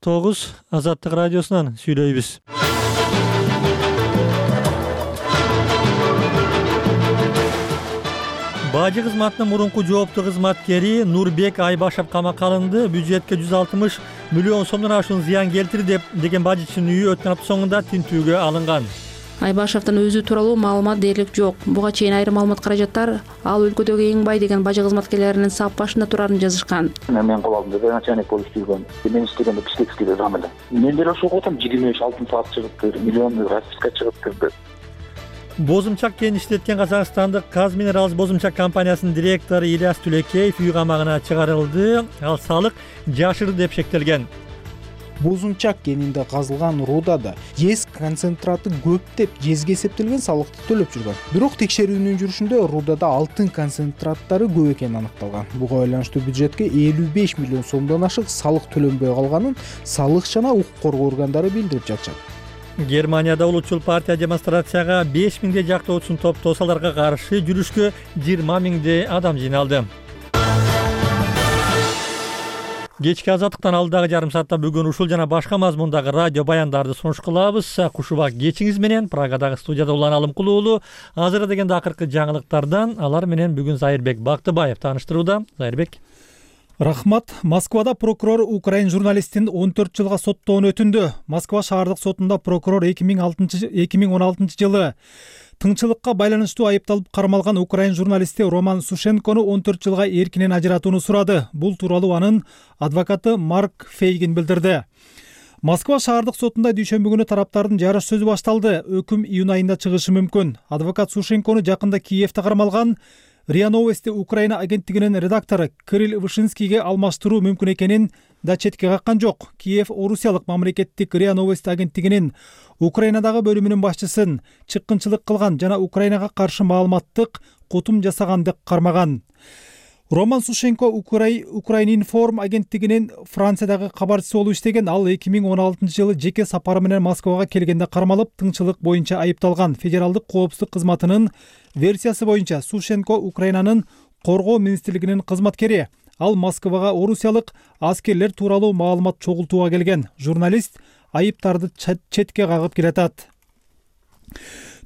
9 Азаттык радиосунан сүйлөйбүз. Бажы кызматынын мурунку жооптуу кызматкери Нурбек Айбашев камакка алынды. Бюджетке 160 миллион сомдон ашуун зыян келтирди деген бажычынын үйү өткөн апта соңунда тинтүүгө алынган. Айбашевдин өзү тууралуу маалымат дээрлик жок. Буга чейин айрым маалымат каражаттар ал өлкөдөгү эң бай деген бажы кызматкерлеринин сап башында турарын жазышкан. Мен кол алдым деп начальник болуп жүргөн. Мен иштегенде Бишкекскийде дам эле. Мен деле ошого отам 23 алтын саат чыгыптыр, миллион расписка чыгыптыр. Бозумчак кенин иштеткен казакстандык Казминералс бозумчак компаниясынын директору Ильяс Түлекеев үй камагына чыгарылды. Ал салык жашырды деп шектелген. Бозумчак кенинде казылган рудада ез концентраты көп деп жезге эсептелген салыкты төлөп жүргөн. Бирок текшерүүнүн жүрүшүндө рудада алтын концентраттары көп экени аныкталган. Буга байланыштуу бюджетке 55 миллион сомдон ашык салык төлөнбөй калганын салык жана укук коргоо органдары билдирип жатышат. Германияда улутчул партия демонстрацияга 5000 жактоочусун топтоосу аларга каршы жүрүшкө 20 000 адам жыйналды. Кечки азаттыктан алдагы жарым саатта бүгүн ушул жана башка мазмундагы радио баяндарды сунуш кылабыз. Кушубак кечиңиз менен Прагадагы студияда Улан Алымкул уулу. Азыр дегенде акыркы жаңылыктардан алар менен бүгүн Зайырбек Бактыбаев тааныштырууда. Зайырбек. Рахмат. Москвада прокурор украин журналистин 14 жылга соттоон өтүндү. Москва шаардык сотунда прокурор 2016 жылы тыңчылыкка байланыштуу айыпталып кармалган украин журналисти Роман Сушенкону 14 жылга эркинен ажыратууну сурады. Бул тууралуу анын адвокаты Марк Фейгин билдирди. Москва шаардык сотунда дүйшөмбү күнү тараптардын жарыш сөзү башталды. Өкүм июнь айында чыгышы мүмкүн. Адвокат Сушенкону жакында Киевте кармалган РИА Новости Украина агенттигинин редактору Кирилл Вышинскийге алмаштыруу мүмкүн экенин да четке каккан жок. Киев орусиялык мамлекеттик РИА Новости агенттигинин Украинадагы бөлүмүнүн башчысын чыккынчылык кылган жана Украинага каршы маалыматтык кутум жасаган деп кармаган. Роман Сушенко Украининформ агенттигинин Франциядагы кабарчысы болуп иштеген. Ал 2016 жылы жеке сапары менен Москвага келгенде кармалып, тыңчылык боюнча айыпталган. Федералдык коопсуздук кызматынын версиясы боюнча Сушенко Украинанын коргоо министрлигинин кызматкери. Ал Москвага орусиялык аскерлер тууралуу маалымат чогултууга келген. Журналист айыптарды четке кагып келатат.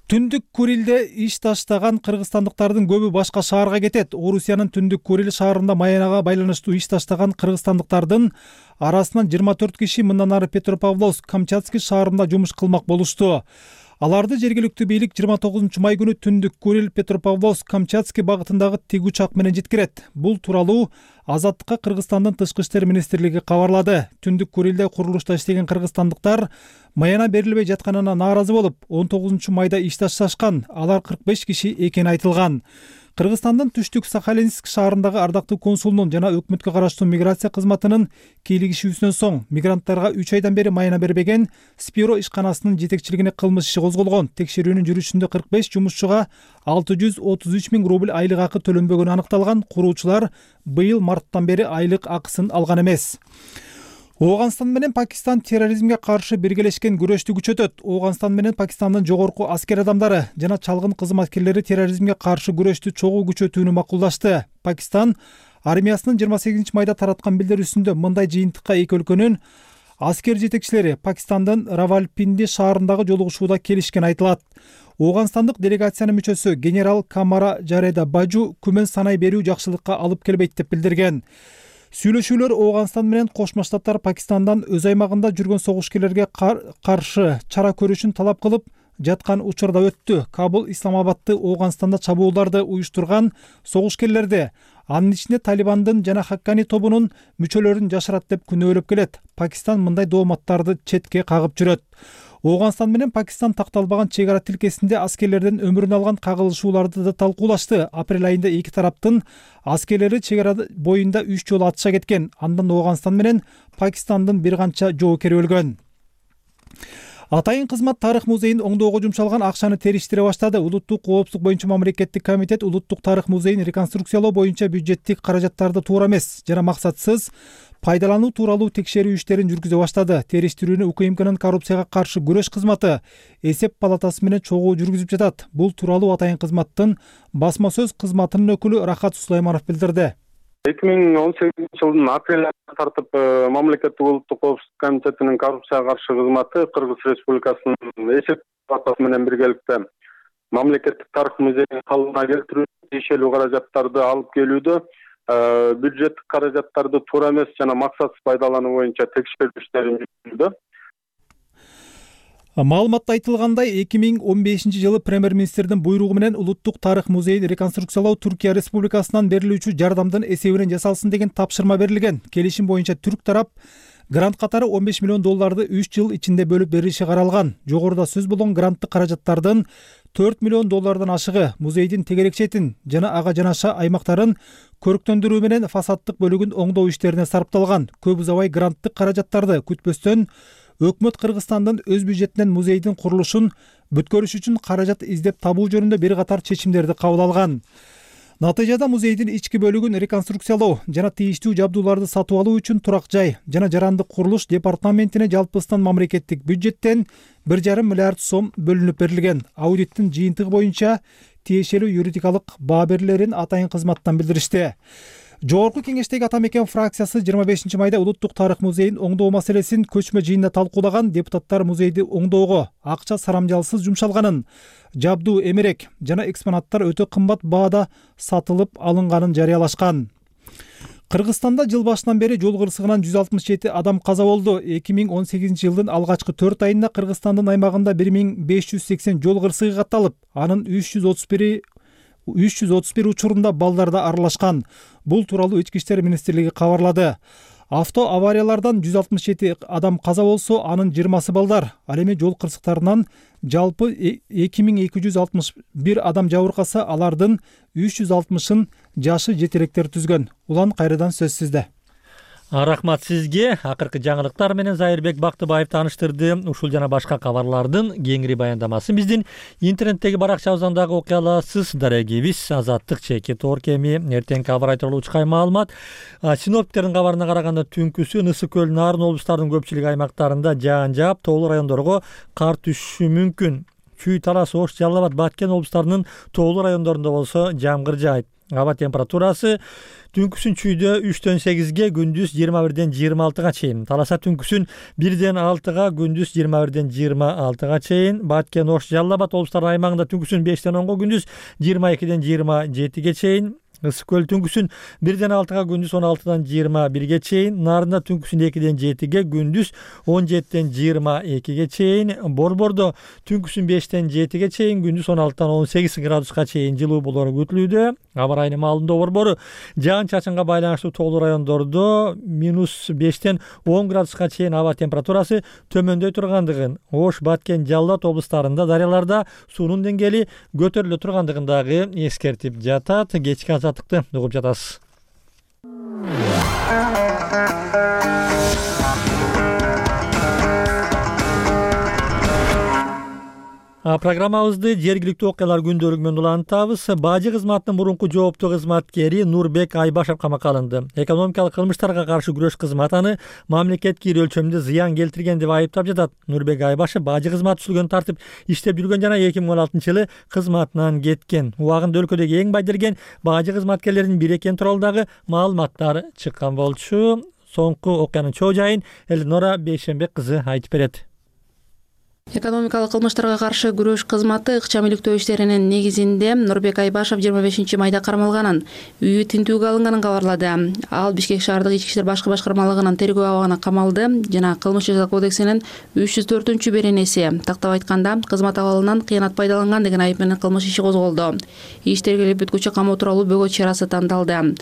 Түндүк Курилде иш таштаган кыргызстандыктардын көбү башка шаарга кетет. Орусиянын Түндүк Курил шаарында маянага байланыштуу иш таштаган кыргызстандыктардын арасынан 24 киши мындан ары Петропавловск, Камчатский шаарында жумуш кылмак болушту. Аларды жергиликтүү бийлик 29 май күнү Түндүк Курил Петропавловск Камчатский багытындагы тиг учак менен жеткирет. Бул тууралуу Азаттыкка Кыргызстандын тышкы иштер министрлиги кабарлады. Түндүк Курилде курулушта иштеген кыргызстандыктар маяна берилбей жатканына нааразы болуп, 19 майда иш ташташкан. Алар 45 киши экени айтылган. Кыргызстандын Түштүк Сахалинск шаарындагы ардактуу консулунун жана өкмөткө караштуу миграция кызматынын кийлигишүүсүнөн соң мигранттарга 3 айдан бери маяна бербеген Спиро ишканасынын жетекчилигине кылмыш иши козголгон. Текшерүүнүн жүрүшүндө 45 жумушчуга 633 000 рубль айлык акы төлөнбөгөнү аныкталган. Куруучулар быйыл марттан бери айлык акысын алган эмес. Ооганстан менен Пакистан терроризмге каршы биргелешкен күрөштү күчөтөт. Ооганстан менен Пакистандын жогорку аскер адамдары жана чалгын кызматкерлери терроризмге каршы күрөштү чогуу күчөтүүнү макулдашты. Пакистан армиясынын 28 майда тараткан билдирүүсүндө мындай жыйынтыкка эки өлкөнүн аскер жетекчилери Пакистандын Равалпинди шаарындагы жолугушууда келишкен айтылат. Ооганстандык делегациянын мүчөсү генерал Камара Жареда Бажу күмөн санай берүү жакшылыкка алып келбейт деп билдирген. Сүйлөшүүлөр Ооганстан менен Кошмо Штаттар Пакистандан өз аймагында жүргөн согушкерлерге каршы чара көрүшүн талап кылып жаткан учурда өттү. Кабул Исламабадты Ооганстанда чабууларды уюштурган согушкерлерди, анын ичинде Талибандын жана Хаккани тобунун мүчөлөрүн жашырат деп күнөөлөп келет. Пакистан мындай дооматтарды четке кагып жүрөт. Ооганстан менен Пакистан такталбаган чек ара тилкесинде аскерлерден өмүрүн алган кагылышууларды да талкуулашты. Апрель айында эки тараптын аскерлери чек ара боюнда 3 жолу атышка кеткен. Андан Ооганстан менен Пакистандын бир канча жоокери өлгөн. Атайын кызмат тарых музейин оңдоого жумшалган акчаны териштире баштады. Улуттук коопсуздук боюнча мамлекеттик комитет Улуттук тарых музейин реконструкциялоо боюнча бюджеттик каражаттарды туура эмес жана максатсыз пайдалануу тууралуу текшерүү иштерин жүргүзө баштады. Териштирүүнү УКМКнын коррупцияга каршы күрөш кызматы эсеп палатасы менен чогуу жүргүзүп жатат. Бул тууралуу атайын кызматтын басма сөз кызматынын өкүлү Рахат Сулайманов билдирди. 2018 жылдын апрель айынан тартып мамлекеттик улуттук коопсуздук комитетинин коррупцияга каршы кызматы Кыргыз Республикасынын эсеп палатасы менен биргеликте мамлекеттик тарых музейин калыбына келтирүү, тиешелүү каражаттарды алып келүүдө бюджеттик каражаттарды туура эмес жана максатсыз пайдалануу боюнча текшерүү иштерин жүргүздү. Маалыматта айтылгандай 2015 жылы премьер-министрдин буйругу менен улуттук тарых музейин реконструкциялоо Түркия Республикасынан берилүүчү жардамдын эсебинен жасалсын деген тапшырма берилген. Келишим боюнча түрк тарап грант катары $15 миллион 3 жыл ичинде бөлүп бериши каралган. Жогоруда сөз болгон гранттык каражаттардын $4 миллион ашыгы музейдин тегерек четин жана ага жанаша аймактарын көрктөндүрүү менен фасадтык бөлүгүн оңдоо иштерине сарпталган. Көп узабай гранттык каражаттарды күтпөстөн өкмөт Кыргызстандын өз бюджетинен музейдин курулушун бүткөрүш үчүн каражат издеп табуу жөнүндө бир катар чечимдерди кабыл алган. Натыйжада музейдин ички бөлүгүн реконструкциялоо жана тийиштүү жабдууларды сатып алуу үчүн турак жай жана жарандык курулуш департаментине жалпысынан мамлекеттик бюджеттен 1,5 миллиард сом бөлүнүп берилген. Аудиттин жыйынтыгы боюнча тиешелүү юридикалык баа берилерин атайын кызматтан билдиришти. Жогорку кеңештеги ата мекен фракциясы 25 майда улуттук тарых музейин оңдоо маселесин көчмө жыйында талкуулаган. Депутаттар музейди оңдоого акча сарамжалсыз жумшалганын, жабдуу эмерек жана экспонаттар өтө кымбат баада сатылып алынганын жарыялашкан. Кыргызстанда жыл башынан бери жол кырсыгынан 167 адам каза болду. 2018 жылдын алгачкы 4 айында Кыргызстандын аймагында 1580 жол кырсыгы катталып, анын 331 учурунда балдар да аралашкан. Бул тууралуу Ички иштер министрлиги кабарлады. Авто авариялардан 167 адам каза болсо, анын 20сы балдар. Ал эми жол кырсыктарынан жалпы 2261 адам жабыркаса, алардын 360-ын жашы жетелектер түзгөн. Улан кайрадан сөз сизде. Рахмат сизге. Акыркы жаңылыктар менен Зайырбек Бактыбаев тааныштырды. Ушул жана башка кабарлардын кеңири баяндамасын биздин интернеттеги баракчабыздан дагы окуй аласыз. Дарегибиз Азаттык чеки Торкеми эртеңки кабар айтылуу учкай маалымат. Синоптиктердин кабарына караганда түнкүсү Ысык көл, Нарын облустарынын көпчүлүк аймактарында жаан жаап, тоолуу райондорго кар түшүшү мүмкүн. Чүй, Талас, Ош, Жалал Абад, Баткен облустарынын тоолуу райондорунда болсо жамгыр жаайт. Аба температурасы түнкүсүн Чүйдө 3-төн 8ге, күндүз 21-ден 26га чейин. Таласа түнкүсүн 1-ден 6га, күндүз 21-ден 26га чейин. Баткен, Ош, Жалал Абад облустарынын аймагында түнкүсүн 5-ден 10га, күндүз 22-ден 27ге чейин. Ысык көл түнкүсүн 1-ден 6га, күндүз 16-дан 21ге чейин. Нарында түнкүсүн 2-ден 7ге, күндүз 17-ден 22ге чейин. Борбордо түнкүсүн 5-ден 7ге чейин, күндүз 16-дан 18 градуска чейин жылуу болору күтүлүүдө. Аба райынын маалымдоо борбору жаан чачынга байланыштуу тоолуу райондордо -5-ден 10 градуска чейин аба температурасы төмөндөй тургандыгын, Ош, Баткен, Жалал Абад облустарында дарыяларда суунун деңгээли көтөрүлө тургандыгын дагы эскертип жатат. Кечки азаттыкты угуп жатасыз. Программабызды жергиликтүү окуялар күндөлүгү менен улантабыз. Бажы кызматынын мурунку жооптуу кызматкери Нурбек Айбашев камакка алынды. Экономикалык кылмыштарга каршы күрөш кызматы аны мамлекетке ири өлчөмдө зыян келтирген деп айыптап жатат. Нурбек Айбашев бажы кызматы сүлгөнү тартып иштеп жүргөн жана 2016-жылы кызматынан кеткен. Убагында өлкөдөгү эң байдырген бажы кызматкерлеринин бири экени тууралуу дагы маалыматтар чыккан болчу. Соңку окуянын чоо жайын Элнора Бейшембек кызы айтып берет. Экономикалык кылмыштарга каршы күрөш кызматы ыкчам иликтөө иштеринин негизинде Нурбек Айбашев 25 майда кармалганын, үйү тинтүүгө алынганын кабарлады. Ал Бишкек шаардык ички иштер башкы башкармалыгынын тергөө абагына камалды жана Кылмыш жаза кодексинин 304-беренеси тактап айтканда кызмат абалынан кыянат пайдаланган деген айып менен кылмыш иши козголду. Иш тергелип бүткүчө камоо тууралуу бөгөт чарасы тандалды.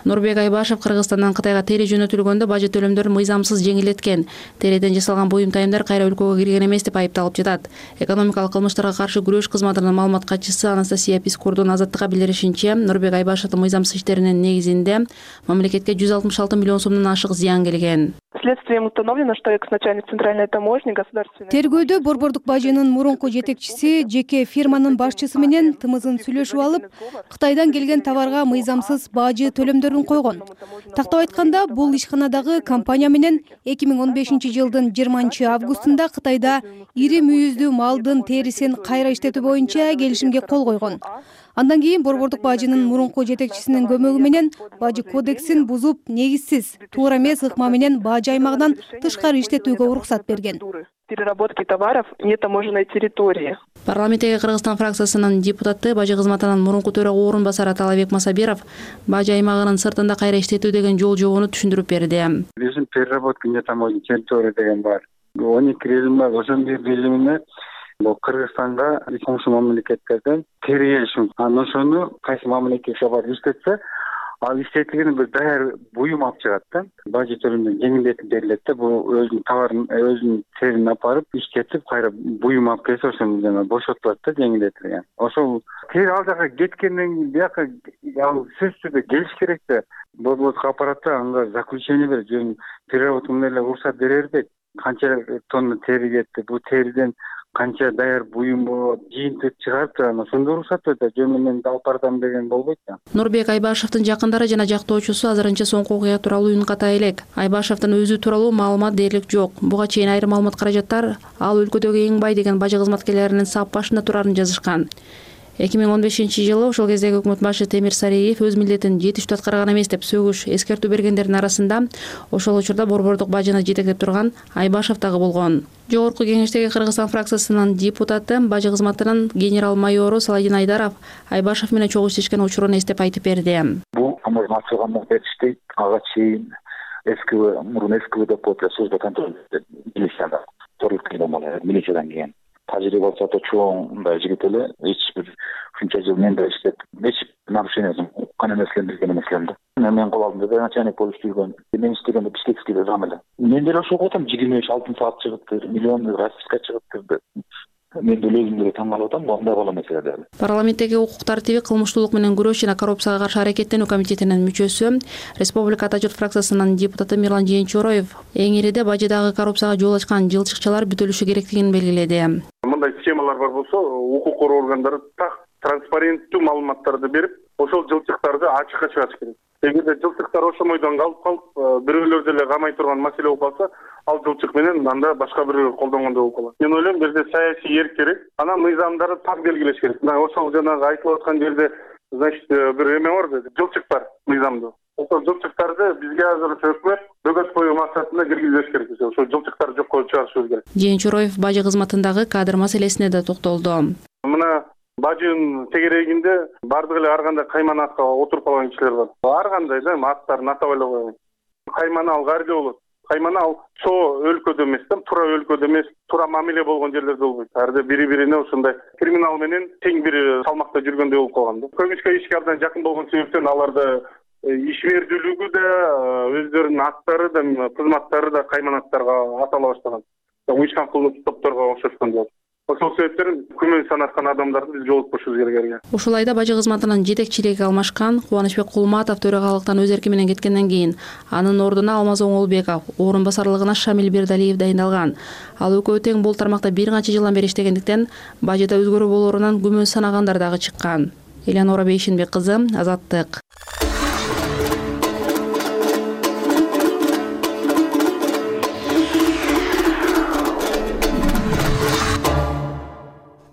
Нурбек Айбашев Кыргызстандан Кытайга тере жөнөтүлгөндө бажы төлөмдөрүн мыйзамсыз жеңилдеткен, тереден жасалган буюм тайымдар кайра өлкөгө кирген эмес деп алып жатат. Экономикалык кылмыштарга каршы күрөш кызматынын маалымат катчысы Анастасия Пискурдун Азаттыкка билдиришинче, Нурбек Айбашевдин мыйзамсыз иштеринин негизинде мамлекетке 166 миллион сомдон ашык зыян келген. Следствием установлено, что экс-начальник центральной таможни государственной... Тергөөдө борбордук бажынын мурунку жетекчиси жеке фирманын башчысы менен тымызын сүйлөшүп алып, Кытайдан келген товарга мыйзамсыз бажы төлөмдөрүн койгон. Тактап айтканда, бул ишканадагы компания менен 2015 жылдын 20 августунда Кытайда ири мүйүздүү малдын терисин кайра иштетүү боюнча келишимге кол койгон. Андан кийин Борбордук бажынын мурунку жетекчисинин көмөгү менен бажы кодексин бузуп, негизсиз, туура эмес ыкма менен бажы аймагынан тышкары иштетүүгө уруксат берген. Переработки товаров нетаможенной территории. Парламенттеги Кыргызстан фракциясынын депутаты бажы кызматынын мурунку төрага орун басары Талабек Масабиров бажы аймагынын сыртында кайра иштетүү деген жол жобону түшүндүрүп берди. Биздин переработка нетаможенной территория деген бар. 12 режим бар. Ошонун бир режимине бул Кыргызстанга коңшу мамлекеттерден тери келишим. Анан ошону кайсы мамлекетке барып иштетсе, ал иштетилген бир даяр буюм алып чыгат да. Бажы төлөмдөн жеңилдетип берилет да. Бул өзүнүн товарын, өзүнүн терин апарып иштетип, кайра буюм алып келсе, ошону жана бошотулат да, жеңилдетилген. Ошол тери ал жака кеткенден бияка ал сөзсүз түрдө келиш керек да. Борбордук аппаратта анга заключение берет, жөн переработка менен эле уруксат берербек. Канча тонна тери кетти, бул териден канча даяр буюм болот, жыйынтык чыгарып анан ошондо уруксат берет, жөн менен алып бардым деген болбойт да. Нурбек Айбашевдин жакындары жана жактоочусу азырынча соңку окуя тууралуу үн ката элек. Айбашевдин өзү тууралуу маалымат дээрлик жок. Буга чейин айрым маалымат каражаттар ал өлкөдөгү эң бай деген бажы кызматкерлеринин сап башында турарын жазышкан. 2015-жылы ошол кездеги өкмөт башы Темир Сариев өз милдетин жетиштүү аткарган эмес деп сөгүш, эскертүү бергендердин арасында ошол учурда борбордук бажыны жетектеп турган Айбашев дагы болгон. Жогорку кеңештеги Кыргызстан фракциясынын депутаты бажы кызматынын генерал-майору Саладин Айдаров Айбашев менен чогуу иштешкен учурун эстеп айтып берди. Бул таможня ачылгандан бери иштейт, ага чейин мурун СКВ деп коет, служба контроль милицияда торлук милициядан келген. Тажрыйбасы да чоң мындай жигит эле, эч бир ушунча жыл менде иштеп, эч нарушениясын уккан эмесмин, билген эмесмин да. Мен кол алдымда да начальник болуп жүргөн, мен иштегенде Бишкекскийде зам эле. Мен деле ошого атам 25-6 саат чыгыптыр, миллион расписка чыгыптыр. Мен деле өзүм деле таң калып атам, мындай боло эмес эле. Парламенттеги укук тартиби, кылмыштуулук менен күрөш жана коррупцияга каршы аракеттенүү комитетинин мүчөсү, Республика Ата журт фракциясынын депутаты Мирлан Жээнчороев эң ириде бажыдагы коррупцияга жол ачкан жылчыкчалар бүтүлүшү керектигин белгиледи. Мындай схемалар бар болсо, укук коргоо органдары так транспаренттүү маалыматтарды берип, ошол жылчыктарды ачыкка чыгарыш керек. Эгерде жылчыктар ошомойдон калып, бирөөлөр деле камай турган маселе болуп калса, ал жылчык менен анда башка бирөөлөр колдонгондой болуп калат. Мен ойлойм, бизде саясий эрк керек, анан мыйзамдарды так белгилеш керек. Ошол жанагы айтылып аткан жерде, значит, бир эме бар, жылчык бар мыйзамда. Ошол жылчыктарды бизге азыр өкмөт бөгөт коюу максатында киргизбеш керек. Ошол жылчыктарды жокко чыгарышыбыз керек. Жээнчороев бажы кызматындагы кадр маселесине да токтолду. Мына бажынын тегерегинде бардык эле ар кандай каймана атка отуруп калган кишилер бар. Ар кандай да аттарын атап эле койгон. Каймана ал кайерде болот? Каймана ал чоо өлкөдө эмес да, туура өлкөдө эмес, туура мамиле болгон жерлерде болбойт. Арды бири-бирине ошондой криминал менен тең бир салмакта жүргөндөй болуп калган да. Көмүшкө ишке абдан жакын болгон себептен аларды ишмердүүлүгү да, өздөрүнүн аттары да, кызматтары да кайманаттарга атала баштаган. Уюшкан кылмыштык топторго окшошкон болот. Ошол себептен күмөн санаткан адамдарды биз жолутпушубуз керек. Ушул айда бажы кызматынын жетекчилиги алмашкан Кубанычбек Кулматов төрагалыктан өз эрки менен кеткенден кийин анын ордуна Алмаз Оңолбеков, орун басарлыгына Шамил Бердалиев дайындалган. Ал экөө тең бул тармакта бир канча жылдан бери иштегендиктен бажыда өзгөрүү болоорунан күмөн санагандар дагы чыккан. Элянора Бейшинбек кызы, Азаттык.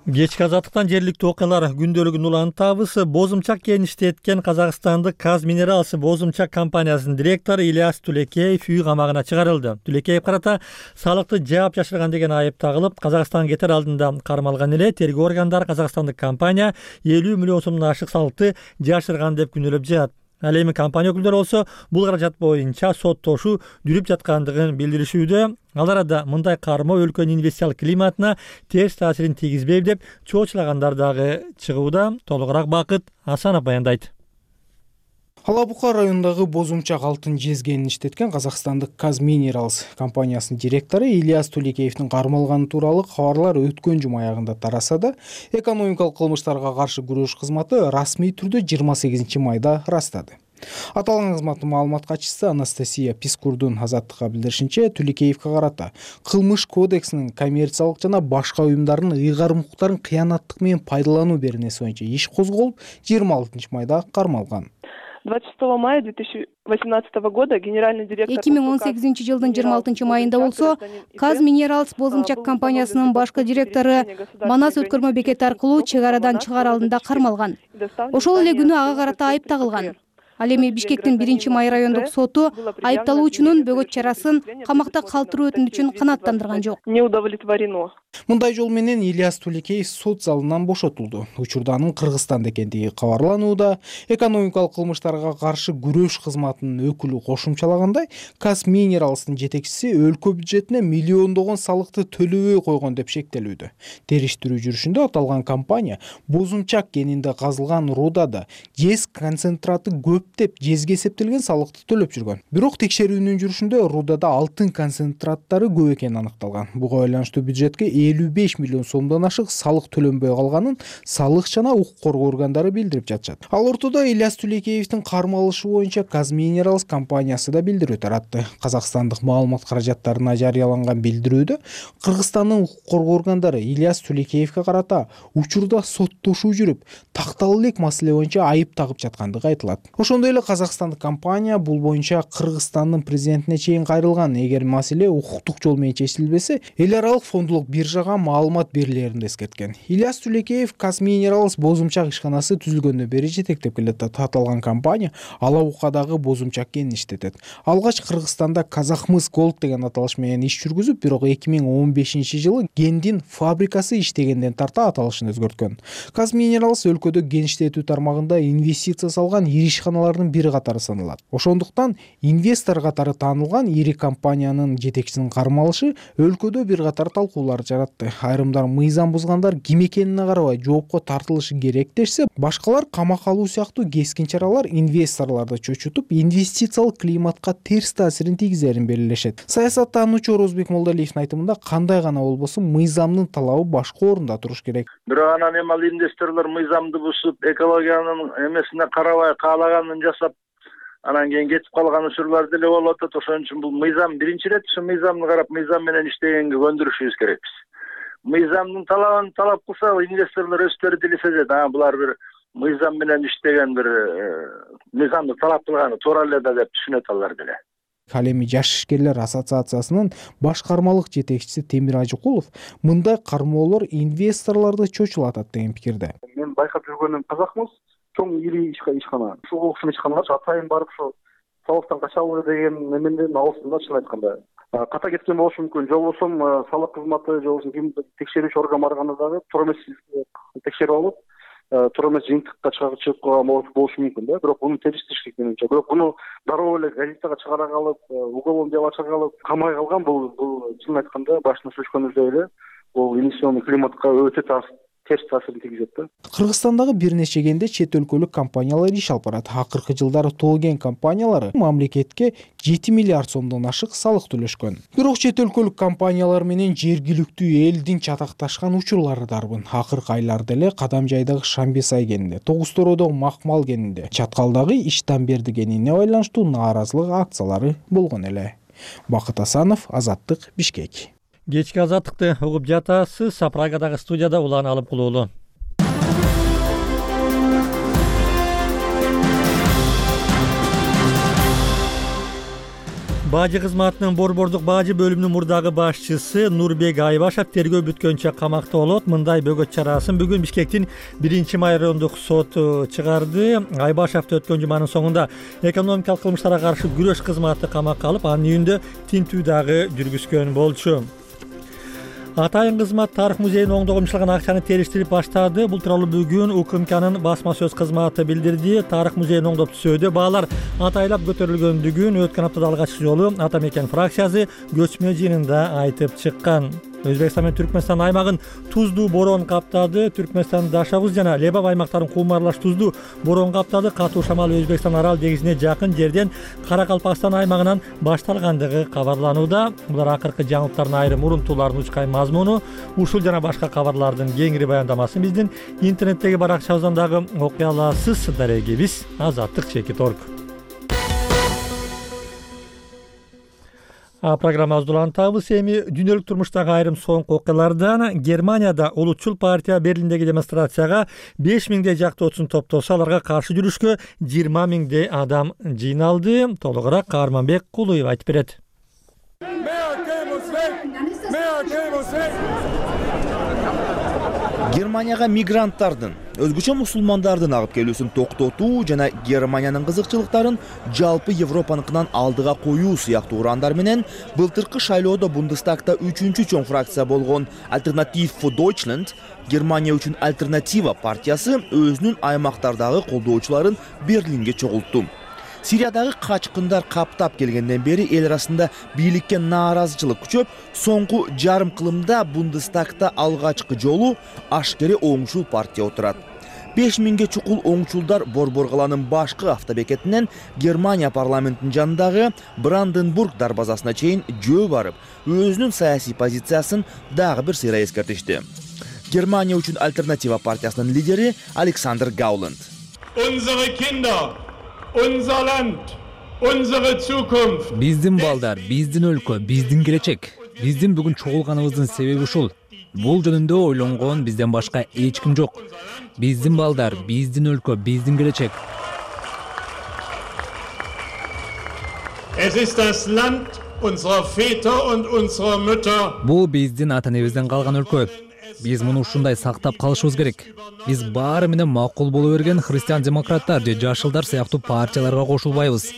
Кечки азаттыктан жергиликтүү окуялар күндөлүгүн улантабыз. Бозумчак кениште эткен казакстандык Казминералс Бозумчак компаниясынын директору Ильяс Тулекеев үй камагына чыгарылды. Тулекеев карата салыкты жаап жашырган деген айып тагылып, Казакстанга кетер алдында кармалган эле. Тергөө органдары казакстандык компания 50 миллион сомдон ашык салыкты жашырган деп күнөөлөп жатат. Ал эми компания өкүлдөрү болсо бул каражат боюнча соттошуу жүрүп жаткандыгын билдиришүүдө. Ал арада мындай кармоо өлкөнүн инвестициялык климатына терс таасирин тийгизбейт деп чоочулагандар дагы чыгууда. Толугураак Бакыт Асанов баяндайт. Ала Бука районундагы Бозумчак алтын жезгенин иштеткен казакстандык Казминералс компаниясынын директору Ильяс Тулекеевдин кармалганы тууралуу кабарлар өткөн жума аягында тараса да, экономикалык кылмыштарга каршы күрөш кызматы расмий түрдө 28 майда ырастады. Аталган кызматтын маалымат катчысы Анастасия Пискурдун Азаттыкка билдиришинче, Тулекеевге карата кылмыш кодексинин коммерциялык жана башка уюмдардын ыйгарым укуктарын кыянаттык менен пайдалануу беренеси боюнча иш козголуп, 26 майда кармалган. 26 мая 2018 года генеральный директор 2018 жылдын 26 майында болсо Казминералс Бозумчак компаниясынын башкы директору Манас өткөрмө бекети аркылуу чек арадан чыгаар алдында кармалган. Ошол эле күнү ага карата айып тагылган. Ал эми Бишкектин 1-май райондук соту айыпталуучунун бөгөт чарасын камакта калтыруу өтүнүчүн канааттандырган жок. Не удовлетворено. Мындай жол менен Ильяс Туликеев сот залынан бошотулду. Учурда анын Кыргызстанда экендиги кабарланууда. Экономикалык кылмыштарга каршы күрөш кызматынын өкүлү кошумчалагандай, Казминералстын жетекчиси өлкө бюджетине миллиондогон салыкты төлөбөй койгон деп шектелүүдө. Териштирүү жүрүшүндө аталган компания Бозумчак кенинде казылган рудада ЖЭС концентраты көптеп жезге эсептелген салыкты төлөп жүргөн. Бирок текшерүүнүн жүрүшүндө рудада алтын концентраттары көп экени аныкталган. Буга байланыштуу бюджетке 55 миллион сомдон ашык салык төлөнбөй калганын салык жана укук коргоо органдары билдирип жатышат. Ал ортодо Ильяс Туликеевдин кармалышы боюнча Казминералс компаниясы да билдирүү таратты. Казакстандык маалымат каражаттарына жарыяланган билдирүүдө Кыргызстандын укук коргоо органдары Ильяс Туликеевге карата учурда соттошуу жүрүп, такталуу элек маселе боюнча айып тагып жаткандыгы айтылат. Ошондой эле казакстандык компания бул боюнча Кыргызстандын президентине чейин кайрылган. Эгер маселе укуктук жол менен чечилбесе, эл аралык фондулук биржага маалымат берилерин эскерткен. Ильяс Туликеев Казминералс Бозумчак ишканасы түзүлгөндөн бери жетектеп келатат. Аталган компания Алабукадагы Бозумчак кенин иштетет. Алгач Кыргызстанда Казахмыс Голд деген аталыш менен иш жүргүзүп, бирок 2015 жылы гендин фабрикасы иштегенден тарта аталышын өзгөрткөн. Казминералс өлкөдө ген иштетүү тармагында инвестиция салган ири ишканалардын бири катары саналат. Ошондуктан инвестор катары таанылган ири компаниянын жетекчисинин кармалышы өлкөдө бир катар талкуулар жаратты. Айрымдар мыйзам бузгандар ким экенине карабай жоопко тартылышы керек дешсе, башкалар камак алуу сыяктуу кескин чаралар инвесторлорду чочутуп, инвестициялык климатка терс таасирин тийгизерин белгилешет. Саясаттануучу Орозбек Молдалиевдин айтымында кандай гана болбосун мыйзамдын талабы башка орунда туруш керек. Бирок анан эми ал инвесторлор мыйзамды бузуп, экологиянын эмесине карабай каалаганын жасап, анан кийин кетип калган учурлар деле болуп атат. Ошон үчүн бул мыйзам биринчи ирет ушу мыйзамды карап, мыйзам менен иштегенге көндүрүшүбүз керекпиз. Мыйзамдын талабын талап кылса, инвесторлор өздөрү билишет. Булар бир мыйзам менен иштеген бир мыйзамды талап кылганы туура эле да деп түшүнөт алар деле. Ал эми Жаш ишкерлер ассоциациясынын башкармалык жетекчиси Темир Ажыкулов мындай кармоолор инвесторлорду чочулатат деген пикирде. Мен байкап жүргөнүм Казахмыс чоң ири ишкана. Ушул окшон ишканалар атайын барып ушу салыктан качабы деген неменден алысында, чын айтканда. Ката кеткен болушу мүмкүн. Же болбосо салык кызматы, же болбосо ким текшерүүчү орган барганда дагы туура эмес текшерип алып, туура эмес жыйынтыкка чыгып койгон болушу мүмкүн да. Бирок муну териштириш керек менимче. Бирок муну дароо эле газетага чыгара калып, уголовный дело ача калып, камай калган бул чын айтканда башында сүйлөшкөнүбүздөй эле бул инвестиционный климатка өтө терс таасирин тийгизет да. Кыргызстандагы бир нече кенде чет өлкөлүк компаниялар иш алып барат. Акыркы жылдары тоо кен компаниялары мамлекетке 7 миллиард сомдон ашык салык төлөшкөн. Бирок чет өлкөлүк компаниялар менен жергиликтүү элдин чатакташкан учурлары дарбын. Акыркы айларда эле Кадамжайдагы Шамбесай кенинде, Тогустородогу Макмал кенинде, Чаткалдагы Иштанберди кенине байланыштуу нааразылык акциялары болгон эле. Бакыт Асанов, Азаттык, Бишкек. Кечки азаттыкты угуп жатасыз. Прагадагы студияда улан алып кулуулу. Бажы кызматынын борбордук бажы бөлүмүнүн мурдагы башчысы Нурбек Айбашев тергөө бүткөнчө камакта болот. Мындай бөгөт чарасын бүгүн Бишкектин 1-май райондук соту чыгарды. Айбашевди өткөн жуманын соңунда экономикалык кылмыштарга каршы күрөш кызматы камакка алып, анын үйүндө тинтүү дагы жүргүзгөн болчу. Атайын кызмат тарых музейине оңдогумчулган акчаны териштирип баштады. Бул тууралуу бүгүн УКМКнын басма сөз кызматы билдирди. Тарых музейин оңдоп түзүүдө баалар атайлап көтөрүлгөндүгүн өткөн аптада алгач жолу Ата Мекен фракциясы көчмө жыйынында айтып чыккан. Өзбекстан менен Түркмөнстан аймагын туздуу борон каптады. Түркмөнстан Дашавуз жана Лебав аймактарын кумарлаш туздуу борон каптады. Катуу шамал Өзбекстан арал деңизине жакын жерден Каракалпакстан аймагынан башталгандыгы кабарланууда. Булар акыркы жаңылыктардын айрым урунтууларын учкай мазмуну. Ушул жана башка кабарлардын кеңири баяндамасын биздин интернеттеги баракчабыздан дагы окуй аласыз. Дарегибиз Азаттык _org. Программабызды улантабыз. Эми дүйнөлүк турмуштагы айрым соңку окуялардан. Германияда улутчул партия Берлиндеги демонстрацияга 5000дей жактоочусун топтосо, аларга каршы жүрүшкө 20 000 адам жыйналды. Толугураак Каарманбек Кулуев айтып берет. Германияга мигранттардын, өзгөчө мусулмандардын агып келүүсүн токтотуу жана Германиянын кызыкчылыктарын жалпы Европаныкынан алдыга коюу сыяктуу урандар менен былтыркы шайлоодо Бундестагта 3-чү чоң фракция болгон Alternative für Deutschland, Германия үчүн альтернатива партиясы өзүнүн аймактардагы колдоочуларын Берлинге чогултту. Сириядагы качкындар каптап келгенден бери эл арасында бийликке нааразычылык күчөп, соңку жарым кылымда Бундестагта алгачкы жолу ашкере оңчул партия отурат. 5000 чукул оңчулдар Борбор каланын башкы автобекетинен Германия парламентинин жанындагы Бранденбург дарбазасына чейин жөө барып, өзүнүн саясий позициясын дагы бир сыйра эскертишти. Германия үчүн альтернатива партиясынын лидери Александр Гауленд. Unser Land, unsere Zukunft. Биздин балдар, биздин өлкө, биздин келечек. Биздин бүгүн чогулганыбыздын себеби ушул. Бул жөнүндө ойлонгон бизден башка эч ким жок. Биздин балдар, биздин өлкө, биздин келечек. Es ist das Land unserer Väter und unserer Mütter. Бул биздин ата-энебизден калган өлкө. Биз муну ушундай сактап калышыбыз керек. Биз баары менен макул боло берген христиан-демократтар же жашылдар сыяктуу партияларга кошулбайбыз.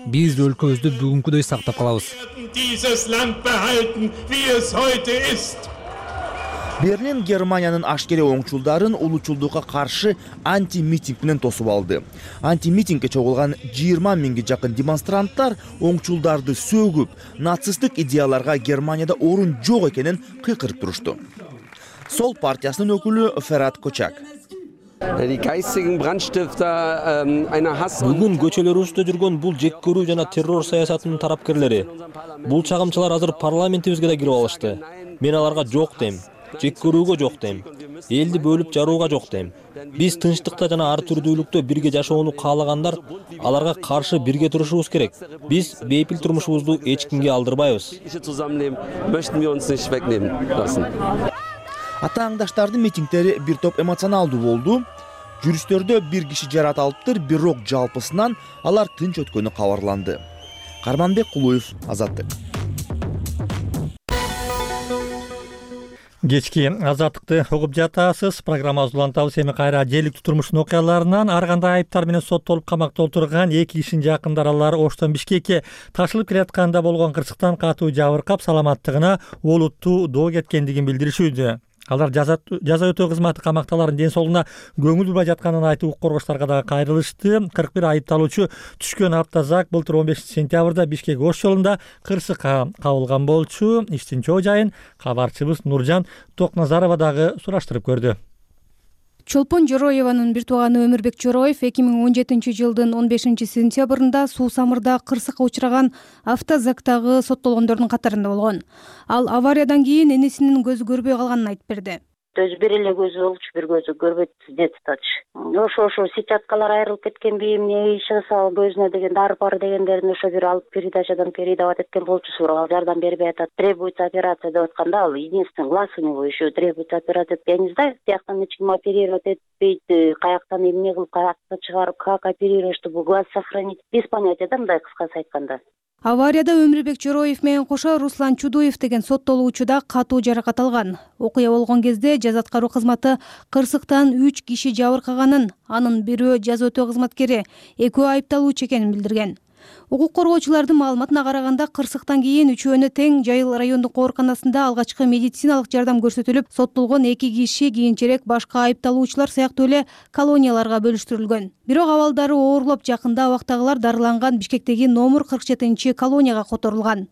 Биз өлкөбүздү бүгүнкүдөй сактап калабыз. Берлин Германиянын ашкере оңчулдарын улучулдукка каршы анти-митинг менен тосуп алды. Анти-митингге чогулган 20 000 жакын демонстранттар оңчулдарды сөгүп, нацисттик идеяларга Германияда орун жок экенин кыйкырып турушту. Сол партиясынын өкүлү Ферат Кочак. Бүгүн көчөлөрүбүздө жүргөн бул жек көрүү жана террор саясатынын тарапкерлери. Бул чагымчылар азыр парламентибизге да кирип алышты. Мен аларга жок дейм. Жек көрүүгө жок дейм. Элди бөлүп жарууга жок дейм. Биз тынчтыкта жана ар түрдүүлүктө бирге жашоону каалагандар, аларга каршы бирге турушубуз керек. Биз бейпил турмушубузду эч кимге алдырбайбыз. Ата аңдаштардын митингдери бир топ эмоционалдуу болду. Жүрүштөрдө бир киши жараталыптыр, бирок жалпысынан алар тынч өткөнү кабарланды. Карманбек Кулуев, Азаттык. Кечки Азаттыкты угуп жатасыз. Программабызды улантабыз. Эми кайра желиктүү турмуштун окуяларынан. Ар кандай айыптар менен соттолуп камакта отурган 2 кишинин жакындаралары Оштон Бишкекке ташылып келатканда болгон кырсыктан катуу жабыркап, саламаттыгына олуттуу доо кеткендигин билдиришүүдө. Алар жаза өтөө кызматы камакталарын ден соолугуна көңүл бурбай жатканын айтып, укук коргоочуларга дагы кайрылышты. 41 айыпталуучу түшкөн аптазак былтыр 15 сентябрда Бишкек Ош жолунда кырсыкка кабылган болчу. Иштин чоо жайын кабарчыбыз Нуржан Токназарова дагы сураштырып көрдү. Чолпон Жороеванын бир тууганы Өмүрбек Жороев 2017 жылдын 15 сентябрында Суу Самырда кырсыкка учураган автозактагы соттолгондордун катарында болгон. Ал авариядан кийин энесинин көзү көрбөй калганын айтып берди. Өзү бир эле көзү болчу, бир көзү көрбөйт детатчы. Ошо сетчаткалар айрылып кеткенби, эмне иш кылса көзүнө деген дары дегендерин ошо бир алып передачадан передавать эткен болчу, сурап жардам бербей атат. Требуется операция деп атканда, ал единственный глаз у него еще требуется операция. Я не знаю, тияктан эч ким оперировать этпейт, каяктан эмне кылып, каяктан чыгарып, как оперировать, чтобы глаз сохранить. Без понятия да, мындай кыскасы айтканда. Аварияда Өмүрбек Жороев менен кошо Руслан Чудуев деген соттолуучу да катуу жаракат алган. Окуя болгон кезде жаза аткаруу кызматы кырсыктан 3 киши жабыркаганын, анын бирөө жаза өтөө кызматкери, экөө айыпталуучу экенин билдирген. Укук коргоочулардын маалыматына караганда, кырсыктан кийин үчөөнө тең Жайыл райондук ооруканасында алгачкы медициналык жардам көрсөтүлүп, соттолгон 2 киши кийинчерээк башка айыпталуучулар сыяктуу эле колонияларга бөлүштүрүлгөн. Бирок абалдары оорлоп, жакында абактагылар дарыланган Бишкектеги номер 47 колонияга которулган.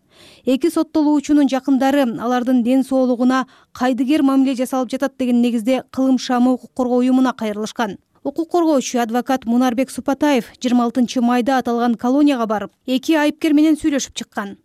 2 соттолуучунун жакындары алардын ден соолугуна кайдыгер мамиле жасалып жатат деген негизде Кылым шамы укук коргоо уюмуна кайрылышкан. Укук коргоочу адвокат Мунарбек Супатаев 26 майда аталган колонияга барып, 2 айыпкер менен сүйлөшүп чыккан.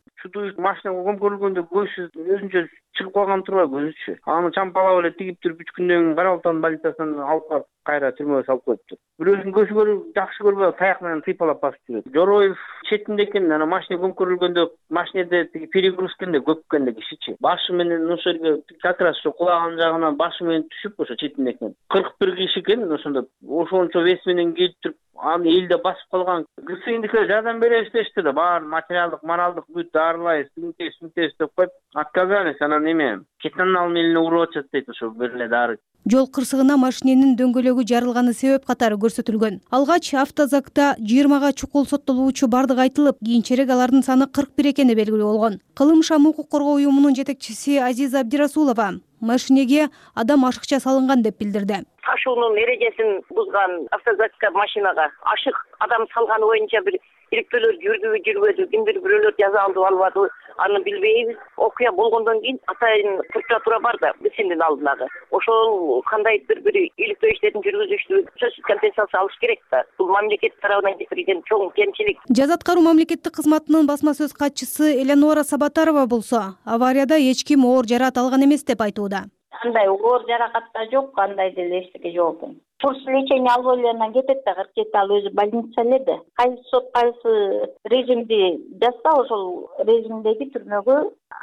Машинага көмкөрүлгөндө көзсүз өзүнчө чыгып калган турбайбы өзүчү. Аны чампалап эле тигип туруп 3 күндөн кийин Кара Балтай больницасынан алып барып кайра түрмөгө салып коюптур. Бирөөсүн көзү көрүп жакшы көрбөй таяк менен тыйпалап басып жүрөт. Жороев четинде экен, ана машина көмкөрүлгөндө машинеде тиги перегрузкенде көп экенде кишичи. Башы менен ошо жерге как раз ошо кулаганын жагынан башы менен түшүп ошо четинде экен. 41 киши экен ошондо. Ошончо вес менен келип туруп аны элде басып калган. ГСИндикилер жардам беребиз дешти да, баарын материалдык, моралдык бүт дарылайбыз, сүнтебиз деп коюп отказались. Анан эме кетанал менен уруп атат дейт ошо бир эле дары. Жол кырсыгына машиненин дөңгөлөгү жарылганы себеп катары көрсөтүлгөн. Алгач автозакта 20га чукул соттолуучу бардыгы айтылып, кийинчерээк алардын саны 41 экени белгилүү болгон. Кылым шам укук коргоо уюмунун жетекчиси Азиза Абдирасулова машинеге адам ашыкча салынган деп билдирди. Ташуунун эрежесин бузган автозакка машинага ашык адам салганы боюнча бир иликтөөлөр жүрдүбү жүрбөдү, кимдир бирөөлөр жаза алдыбы албады, аны билбейбиз. Окуя болгондон кийин атайын прокуратура бар да, ГСИндин алдындагы. Ошол кандайдыр бир иликтөө иштерин жүргүзүштү, сөзсүз компенсация алыш керек да. Бул мамлекет тарабынан кетирилген чоң кемчилик. Жаза аткаруу мамлекеттик кызматынын басма сөз катчысы Элеонора Сабатарова болсо, аварияда эч ким оор жараат алган эмес деп айтууда. Кандай оор жаракат да жок, кандай деле эчтеке жок экен. Курс лечение алып эле кетет да, 47 ал өзү больница эле. Кайсы сот кайсы режимди жазса, ошол режимдеги түрмөгө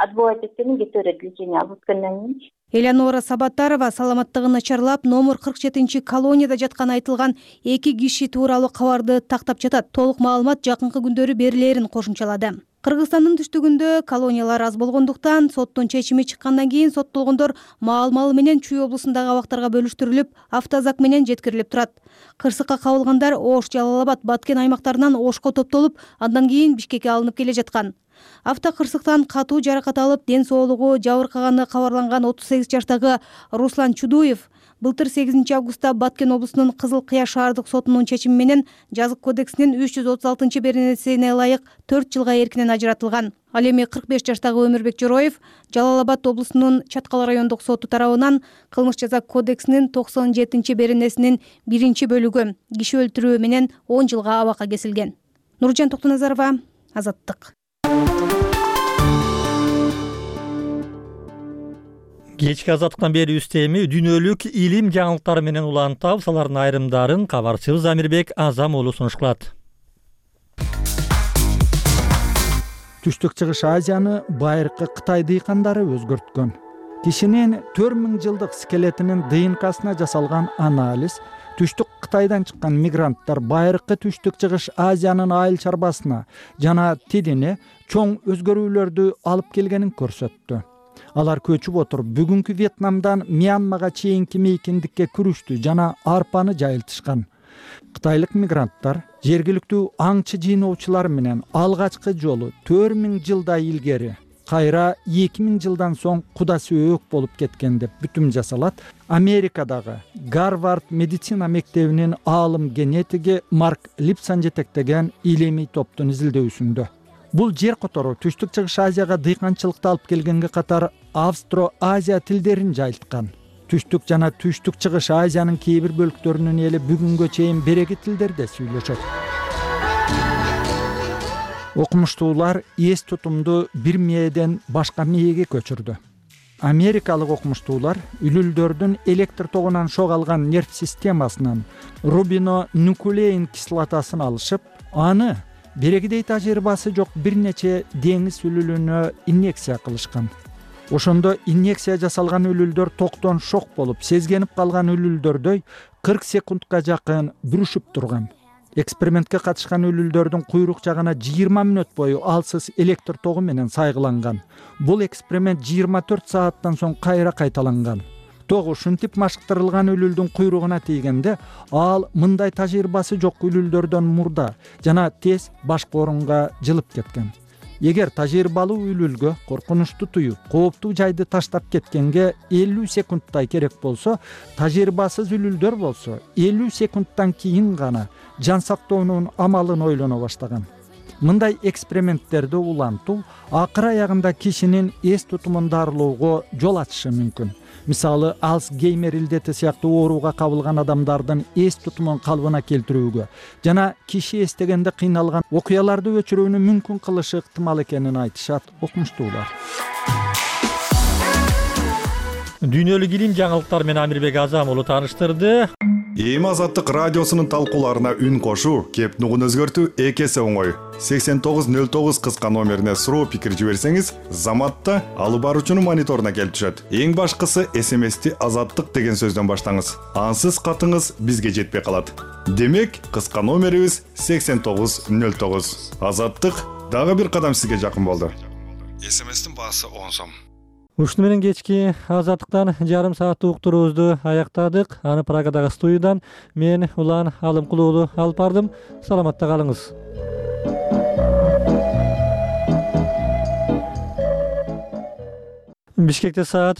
отбывать эткенин кете берет лечение алып өткөндөн кийин. Элеонора Сабатарова саламаттыгы начарлап, номер 47 колонияда жатканы айтылган 2 киши тууралуу кабарды тактап жатат. Толук маалымат жакынкы күндөрү берилерин кошумчалады. Кыргызстандын түштүгүндө колониялар аз болгондуктан соттун чечими чыккандан кийин соттолгондор маал менен Чүй облусундагы абактарга бөлүштүрүлүп, автозак менен жеткирилип турат. Кырсыкка кабылгандар Ош, Жалал Абад, Баткен аймактарынан Ошко топтолуп, андан кийин Бишкекке алынып келе жаткан. Автокырсыктан катуу жаракат алып, ден соолугу жабыркаганы кабарланган 38 жаштагы Руслан Чудуев былтыр 8 августта Баткен облусунун Кызыл Кыя шаардык сотунун чечими менен жазык кодексинин 336-беренесине ылайык 4 жылга эркинен ажыратылган. Ал эми 45 жаштагы Өмүрбек Жороев Жалал Абад облусунун Чаткал райондук соту тарабынан кылмыш жаза кодексинин 97-беренесинин 1-бөлүгү киши өлтүрүү менен 10 жылга абакка кесилген. Нуржан Токтоназарова, Азаттык. Кечки азаттыктан бери үстеми дүйнөлүк илим жаңылыктары менен улантабыз. Алардын айрымдарын кабарчыбыз Амирбек Азам уулу сунуш кылат. Түштүк чыгыш Азияны байыркы Кытай дыйкандары өзгөрткөн. Кишинин 4000 жылдык скелетинин ДНКсына жасалган анализ түштүк Кытайдан чыккан мигранттар байыркы түштүк чыгыш Азиянын айыл чарбасына жана тилине чоң өзгөрүүлөрдү алып келгенин көрсөттү. Алар көчүп отуруп бүгүнкү Вьетнамдан Мьянмага чейинки мейкиндикке күрүштү жана арпаны жайылтышкан. Кытайлык мигранттар жергиликтүү аңчы жыйноочулар менен алгачкы жолу 4000 жылдай илгери, кайра 2000 жылдан соң кудасы өк болуп кеткен деп бүтүм жасалат Америкадагы Гарвард медицина мектебинин аалым генетиги Марк Липсон жетектеген илимий топтун изилдөөсүндө. Бул жер которуу түштүк чыгыш Азияга дыйканчылыкты алып келгенге катар Австро-Азия тилдерин жайылткан. Түштүк жана түштүк чыгыш Азиянын кээ бир бөлүктөрүнүн эли бүгүнгө чейин береги тилдерде сүйлөшөт. Окумуштуулар эс тутумду бир мээден башка мээге көчүрдү. Америкалык окумуштуулар үлүлдөрдүн электр тогунан шок алган нерв системасынан рубинонуклеин кислотасын алышып, аны берегидей тажрыйбасы жок бир нече деңиз үлүлүнө инъекция кылышкан. Ошондо инъекция жасалган үлүлдөр токтон шок болуп, сезгенип калган үлүлдөрдөй 40 секундка жакын бүрүшүп турган. Экспериментке катышкан үлүлдөрдүн куйрук жагына 20 мүнөт бою алсыз электр тогу менен сайгыланган. Бул эксперимент 24 сааттан соң кайра кайталанган. Тогу ушинтип машыктырылган үлүлдүн куйругуна тийгенде ал мындай тажрыйбасы жок үлүлдөрдөн мурда жана тез башка орунга жылып кеткен. Эгер тажрыйбалуу үлүлгө коркунучту туюп, кооптуу жайды таштап кеткенге 50 секундтай керек болсо, тажрыйбасыз үлүлдөр болсо 50 секундтан кийин гана жан сактоонун амалын ойлоно баштаган. Мындай эксперименттерди улантуу акыр аягында кишинин эс тутумун дарылоого жол ачышы мүмкүн. Мисалы, Алцгеймер илдети сыяктуу ооруга кабылган адамдардын эс тутумун калыбына келтирүүгө жана киши эстегенде кыйналган окуяларды өчүрүүнү мүмкүн кылышы ыктымал экенин айтышат окумуштуулар. Дүйнөлүк илим жаңылыктары менен Амирбек Азамуулу тааныштырды. Эми Азаттык радиосунун талкууларына үн кошуу, кеп нугун өзгөртүү эки эсе оңой. 8909 кыска номерине суроо пикир жиберсеңиз, Заматта алып баруучунун мониторуна келип түшөт. Эң башкысы СМСти Азаттык деген сөздөн баштаңыз. Ансыз катыңыз бизге жетпей калат. Демек, кыска номерибиз 8909. Азаттык дагы бир кадам сизге жакын болду. СМСтин баасы 10 сом. Ушуну менен кечки Азаттыктан жарым сааттык уктуруубузду аяктадык. Аны Прагадагы студиядан мен Улан Алымкулуулу алып бардым. Саламатта калыңыз. Бишкекте саат